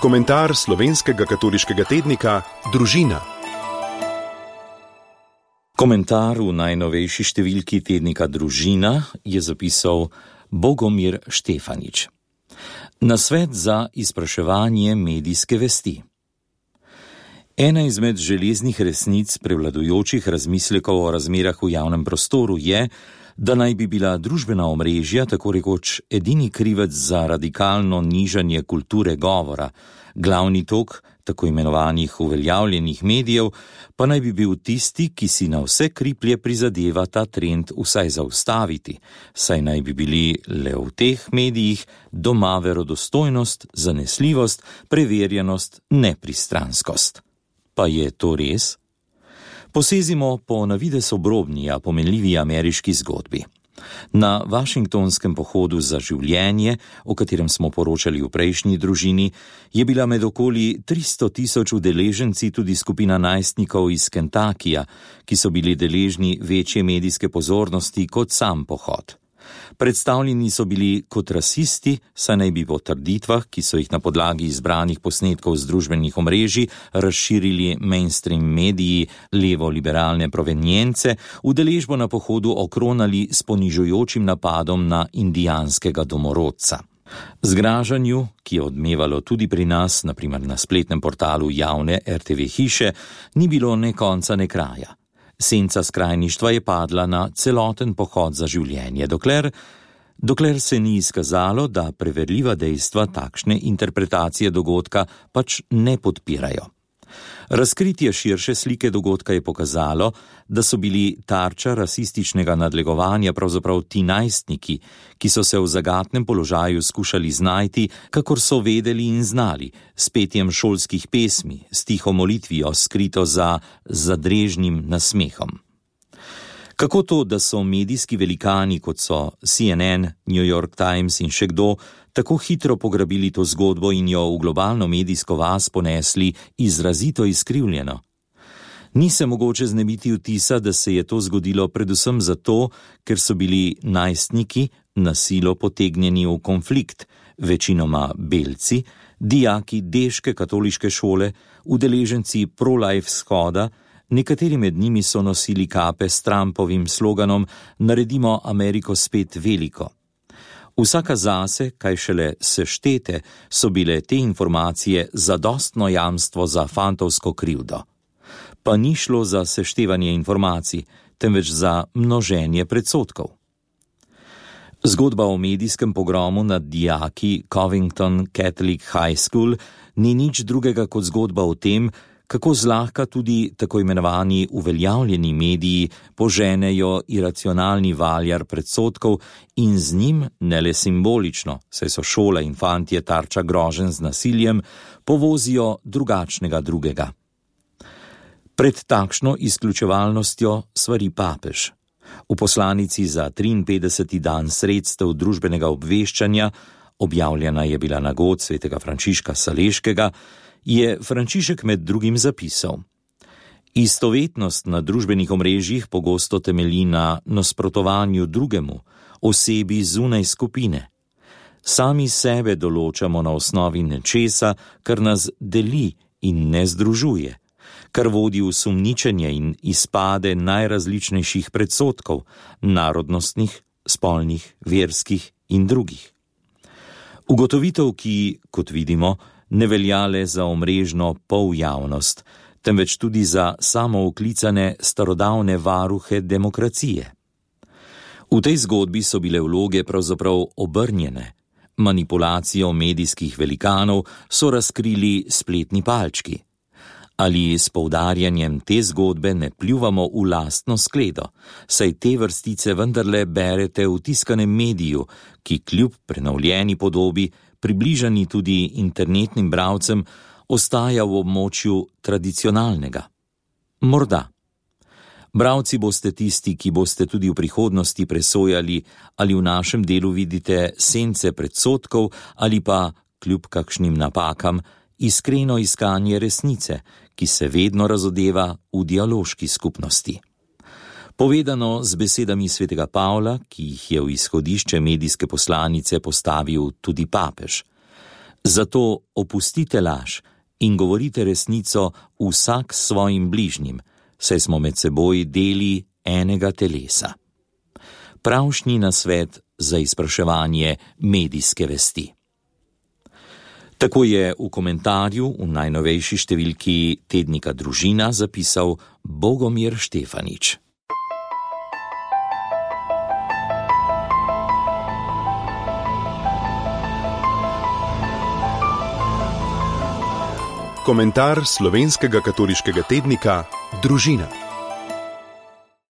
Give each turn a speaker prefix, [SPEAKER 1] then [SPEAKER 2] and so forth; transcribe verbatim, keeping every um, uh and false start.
[SPEAKER 1] Komentar slovenskega katoliškega tednika Družina.
[SPEAKER 2] Komentar v najnovejši številki tednika Družina je zapisal Bogomir Štefanič. Nasvet za izpraševanje medijske vesti. Ena izmed železnih resnic prevladujočih razmislekov o razmerah v javnem prostoru je, da naj bi bila družbena omrežja tako rekoč edini krivec za radikalno nižanje kulture govora, glavni tok tako imenovanih uveljavljenih medijev pa naj bi bil tisti, ki si na vse kriplje prizadeva ta trend vsaj zaustaviti, saj naj bi bili le v teh medijih doma verodostojnost, zanesljivost, preverjenost, nepristranskost. Pa je to res? Posezimo po navidez obrobni, a pomenljivi ameriški zgodbi. Na Washingtonskem pohodu za življenje, o katerem smo poročali v prejšnji Družini, je bila med okoli tristo tisoč udeleženci tudi skupina najstnikov iz Kentakija, ki so bili deležni večje medijske pozornosti kot sam pohod. Predstavljeni so bili kot rasisti, saj naj bi po trditvah, ki so jih na podlagi izbranih posnetkov z družbenih omrežij razširili mainstream mediji levo-liberalne provenience, udeležbo na pohodu okronali s ponižujočim napadom na indijanskega domorodca. Zgražanju, ki je odmevalo tudi pri nas, na primer na spletnem portalu javne er te ve hiše, ni bilo ne konca ne kraja. Senca skrajništva je padla na celoten pohod za življenje, dokler, dokler se ni izkazalo, da preverljiva dejstva takšne interpretacije dogodka pač ne podpirajo. Razkritje širše slike dogodka je pokazalo, da so bili tarča rasističnega nadlegovanja pravzaprav ti najstniki, ki so se v zagatnem položaju skušali znajti, kakor so vedeli in znali, s petjem šolskih pesmi, s tiho molitvijo, skrito za zadrežnim nasmehom. Kako to, da so medijski velikani, kot so C N N, New York Times in še kdo, tako hitro pograbili to zgodbo in jo v globalno medijsko vas ponesli izrazito izkrivljeno? Ni se mogoče znebiti vtisa, da se je to zgodilo predvsem zato, ker so bili najstniki na silo potegnjeni v konflikt, večinoma belci, dijaki deške katoliške šole, udeleženci pro-life shoda, nekateri med njimi so nosili kape s Trumpovim sloganom Naredimo Ameriko spet veliko. Vsaka zase, kaj šele seštete, so bile te informacije zadostno jamstvo za fantovsko krivdo. Pa ni šlo za seštevanje informacij, temveč za množenje predsodkov. Zgodba o medijskem pogromu nad dijaki Covington Catholic High School ni nič drugega kot zgodba o tem, kako zlahka tudi tako imenovani uveljavljeni mediji poženejo iracionalni valjar predsodkov in z njim, ne le simbolično, saj so šola in fantje tarča groženj z nasiljem, povozijo drugačnega drugega. Pred takšno izključevalnostjo svari papež. V poslanici za triinpetdeseti dan sredstev družbenega obveščanja, objavljena je bila na god svetega Frančiška Saleškega, je Frančišek med drugim zapisal: Istovetnost na družbenih omrežjih pogosto temelji na nasprotovanju drugemu, osebi zunaj skupine. Sami sebe določamo na osnovi nečesa, kar nas deli in ne združuje, kar vodi v sumničenje in izpade najrazličnejših predsodkov, narodnostnih, spolnih, verskih in drugih. Ugotovitev, ki, kot vidimo, ne velja le za omrežno poljavnost, temveč tudi za samooklicane starodavne varuhe demokracije. V tej zgodbi so bile vloge pravzaprav obrnjene. Manipulacijo medijskih velikanov so razkrili spletni palčki. Ali s poudarjanjem te zgodbe ne pljuvamo v lastno skledo, saj te vrstice vendarle berete v tiskanem mediju, ki kljub prenovljeni podobi, približani tudi internetnim bralcem, ostaja v območju tradicionalnega. Morda. Bralci boste tisti, ki boste tudi v prihodnosti presojali, ali v našem delu vidite sence predsodkov ali pa, kljub kakšnim napakam, iskreno iskanje resnice, ki se vedno razodeva v dialoški skupnosti. Povedano z besedami svetega Pavla, ki jih je v izhodišče medijske poslanice postavil tudi papež. Zato opustite laž in govorite resnico vsak s svojim bližnjim, saj smo med seboj deli enega telesa. Pravšnji nasvet za izpraševanje medijske vesti. Tako je v komentarju v najnovejši številki tednika Družina zapisal Bogomir Štefanič.
[SPEAKER 1] Komentar slovenskega katoliškega tednika Družina.